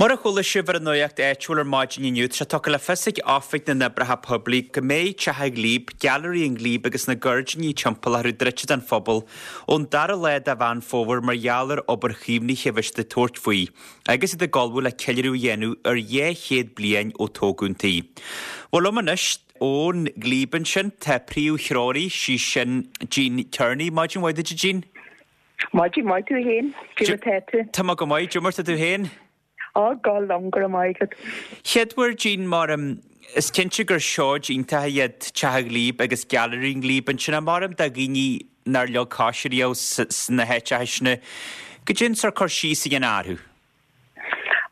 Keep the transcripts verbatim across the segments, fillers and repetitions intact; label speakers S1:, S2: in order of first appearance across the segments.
S1: Mar a chuala sibh ar an nuacht áitiúil ar maidin inniu, tá sé tugtha le fios ag Oifig na nOibreacha Poiblí go mbeidh Teach an Ghlíb, Gailearaí an Ghlíb agus na gairdíní timpeall orthu druidte don phobal ón dara lá de Mheán Fómhair mar gheall ar obair chaomhnaithe a bheidh siad ag tabhairt faoi agus iad ag ullmhú le ceiliúradh a dhéanamh ar dhá chéad bliain ó tógadh an tí. Bhuel liom anois ón Ghlíb ansin tá príomhthreoraí, sí sin Jean Tierney. Maidin mhaith duit, a Jean.
S2: Maidin mhaith duit féin, cén chaoi atá tú.
S1: Tá mé go maith, cad é mar atá tú féin?
S2: Á go liom go maith agat.
S1: Chéadmhar Jean mar is cinnte gur seoid iontach iad Teach an Ghlíb agus Gailearaí an Ghlíb ansin mar do dhaoine nár leag cos riamh sna háiteacha sin. Goidé an sórt cur síos a dhéanamh orthu.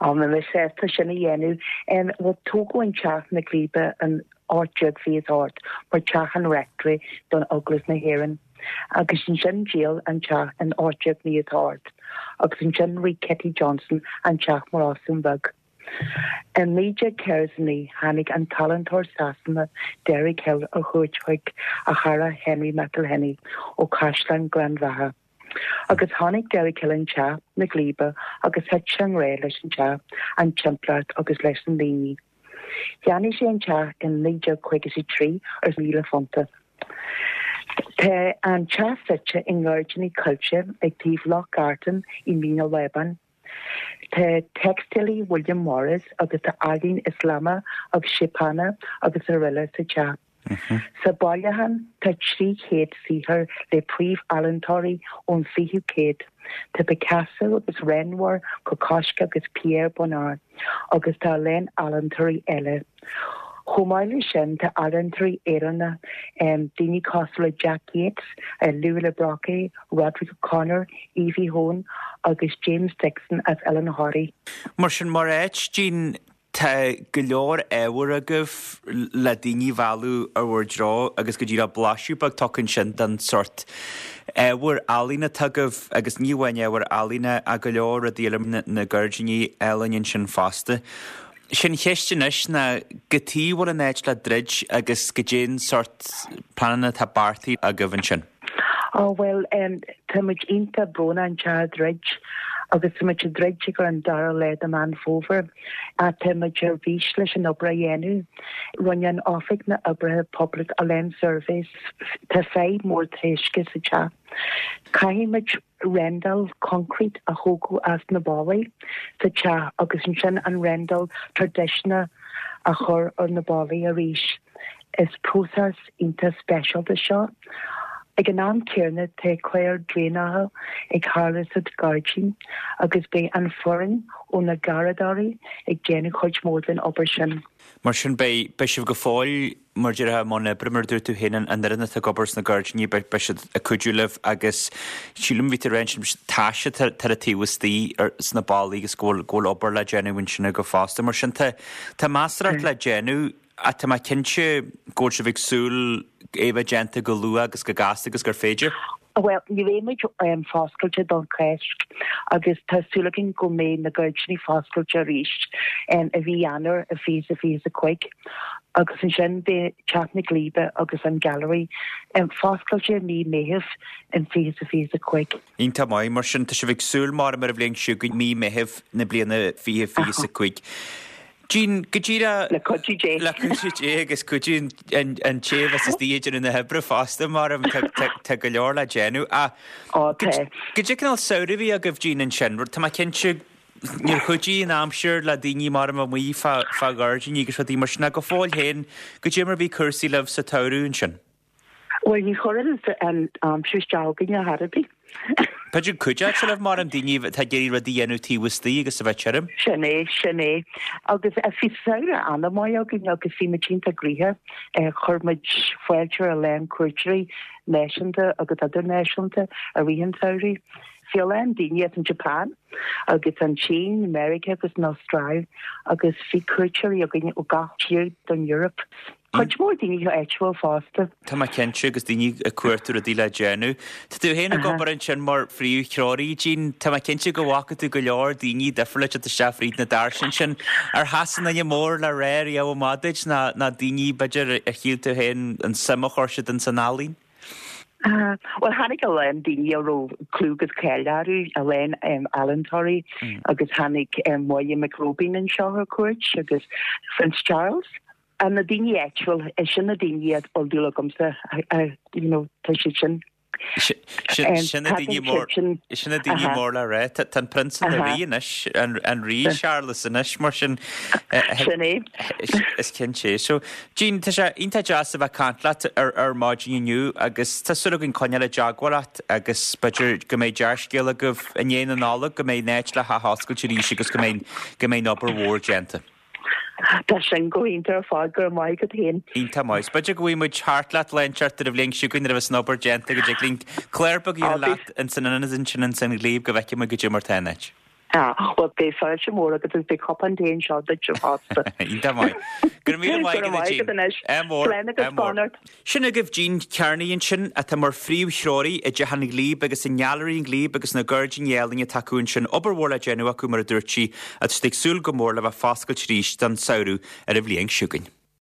S2: Á mé sásta sin a dhéanamh bhuel tógadh an teach na Glíbe in ocht déag fiche is ocht mar teach an rectory don Eaglais na hÉireann. Agus ansin díol an teach in ocht déag naocha is ocht, agus ansin rith Kitty Johnson an teach mar óstán beag. In naoi déag ceithre is a naoi tháinig an t-ealaíontóir Sasanach Derek Hill ar chuairt chuig a chara Henry McElhenney ó Chaisleán Ghleann Bheatha. Agus tháinig Derek Hill an teach na Glíbe agus thit sé i ngrá leis an teach, an timpeallacht agus leis na daoine. Cheannaigh sé an teach in naoi déag caoga is a trí ar míle punta. Tá an teach suite i ngairdíní coillte ag taobh Loch Gartan i Mín an Lábáin. Tá teicstílí William Morris agus tá ealaín Ioslamach agus Seapánach agus araile sa teach. Sa bailiúchán tá trí chéad saothar le príomh-ealaíontóirí ón fichiú céad. Tá Picasso agus Renoir, Kokoschka agus Pierre Bonnard agus tá a lán ealaíontóirí eile. Chomh maith leis sin tá ealaíontóirí Éireannacha um, daoine cosúil le Jack Yeats, uh, Louis Le Brocquy, Roderic O'Conor, Evie Hone agus James Dixon as Oileán Thoraí.
S1: Mar sin mar áit Jean tá go leor ábhar agaibh le daoine a mhealladh ar bhur dtreo agus go díreach blaiseadh beag tugtha ansin den sórt ábhar ealaíne atá agaibh agus ní amháin ábhar ealaíne ach go leor rudaí eile na, na gairdíní álainn ansin fosta. Sin cheist anois ná cad chuige a bhfuil an áit le druid agus goidé an sórt pleananna atá beartaithe agaibh ansin.
S2: Ó well um, tá muid iontach brónach an teach a dhruid agus tá muid ag druid ar an dara lá de Mheán Fómhair a tá muid ar bís leis an obair a dhéanamh. Rinne an Oifig na nOibreacha Poiblí a lán surveys tá fadhb mór taoisce sa teach. Caithfidh muid rendáil concrete a thógáil as na ballaí sa teach agus ansin an rendáil traidisiúnta a chur ar na ballaí arís. Is próiseas iontach speisialta seo. Ag an am céanna tá clár draenála ag tarlú sa ghairdín agus beidh an foireann ó na Garraíodóirí ag déanamh chuid mór den obair sin.
S1: Mar sin beidh beidh sibh go fóill mar déarfá i mbun oibre mar dúirt tú féin an fhoireann atá ag obair sna gairdíní beidh beidh siad ag cuidiú libh agus sílim bhí tú ag rá taise tar a taobh istigh ar sna ballaí agus go bhfuil go bhfuil obair le déanamh ansin go fosta. Mar sin tá tá measarthacht le déanamh ach tá mé cinnte go bhfuil sibh ag súil é bheith déanta go luath agus go gasta agus gur féidir.
S2: Well, ní bheidh muid um, foscailte don Cháisc agus tá súil againn go mbeidh na gairdíní foscailte arís um, i mí Eanáir a fiche fiche a cúig. agus ansin beidh Teach na Glíbe agus an Gallery um, foscailte mí Mheithimh in fiche fiche a cúig.
S1: Iontach maith mar sin tá sibh ag súil mar mar a bhliain seo go mí Mheithimh na bliana fiche fiche a cúig. Jean go díreach
S2: Le cuidiú Dé.
S1: le cuidiú Dé agus cuidiú an an té a bheas istigh ag déanamh na hoibre fosta mar tá go leor le déanamh a
S2: Ó tá.
S1: Goidé cineál samhradh a bhí agaibh Jean ansin, Tá mé cinnte níor chuidigh an aimsir le daoine mar amuigh fá fá ghairdíní agus rudaí mar sin ach go fóill féin goidé mar bhí cúrsaí libh sa tsamhradh ansin.
S2: Well ní chuireann an aimsir isteach againne ar bith.
S1: B'fhéidir cuideoidh sé libh mar an daoine atá ag iarraidh rudaí a dhéanamh taobh istigh agus a bheith tirim.
S2: Sin é sin é agus bhí samhradh an-mhaith againn agus bhí muid iontach gnoitheach chuir muid fáilte a lán cuairteoirí náisiúnta agus idirnáisiúnta i rith an tsamhraidh. Bhí a lán daoine as an Japan agus an tSín, America agus an Astráil agus bhí cuairteoirí againn ó gach tír don Europe. Cuid mhór daoine áitiúil fosta.
S1: Tá mé cinnte agus daoine ag cuartú rudaí le déanamh. Tá tú féin ag obair ansin mar phríomhthreoraí Jean, Tá mé cinnte go bhfaca tú go leor daoine difriúla ag isteach fríd na doirse ansin. Ar sheas aon duine mór le rá riamh maith duit ná ná daoine b'fhéidir a shíl tú féin an suim a chuir siad in san ealaín?
S2: Bhuel tháinig a lán daoine a raibh clú agus cáil orthu, a lán ealaíontóirí agus tháinig Máire Mhic Róibín anseo ar cuairt agus Prince Charles. Na daoine áitiúil, sin na daoine a bhfuil dúil agamsa, you know, tá siad sin.
S1: Sin na daoine mór sin na daoine mór le rá. Tá an prionsa ina rí anois, an rí Charles anois mar sin.
S2: Sin é.
S1: Is cinnte. So Jean, tá sé iontach deas a bheith ag caint leat ar ar maidin inniu agus tá súil againn coinneáil i dteagmháil leat agus b'fhéidir go mbeidh dea-scéal agaibh i ndiaidh na Nollag, go mbeidh an áit le hathoscailt arís agus go mbeidh go mbeidh an obair mhór déanta.
S2: Tá sin go hiontach ar fad, go raibh maith agat féin.
S1: Iontach maith. B'fhéidir go bhfaighidh muid thart leat lá inteacht ar an bhliain seo chugainn nuair a bheas an obair déanta go dtig linn clár beag a dhéanamh leat ins an ionad ansin ins an Ghlíb go bhfeicfidh muid goidé mar tá an áit.
S2: Ah, bhuel beidh fáilte mhór agat agus beidh cupán tae anseo duit fosta.
S1: Iontach maith. Go raibh míle maith agat a Jean. Ádh mór.
S2: Slán agus beannacht.
S1: Sin agaibh Jean Kearney ansin atá mar phríomhthreoraí i dTeach an Ghlíb agus i nGailearaí an Ghlíb agus na gairdíní álainn atá acu ansin. Obair mhór le déanamh acu mar a dúirt sí agus tá siad ag súil go mór le bheith foscailte arís don samhradh ar an bhliain seo chugainn.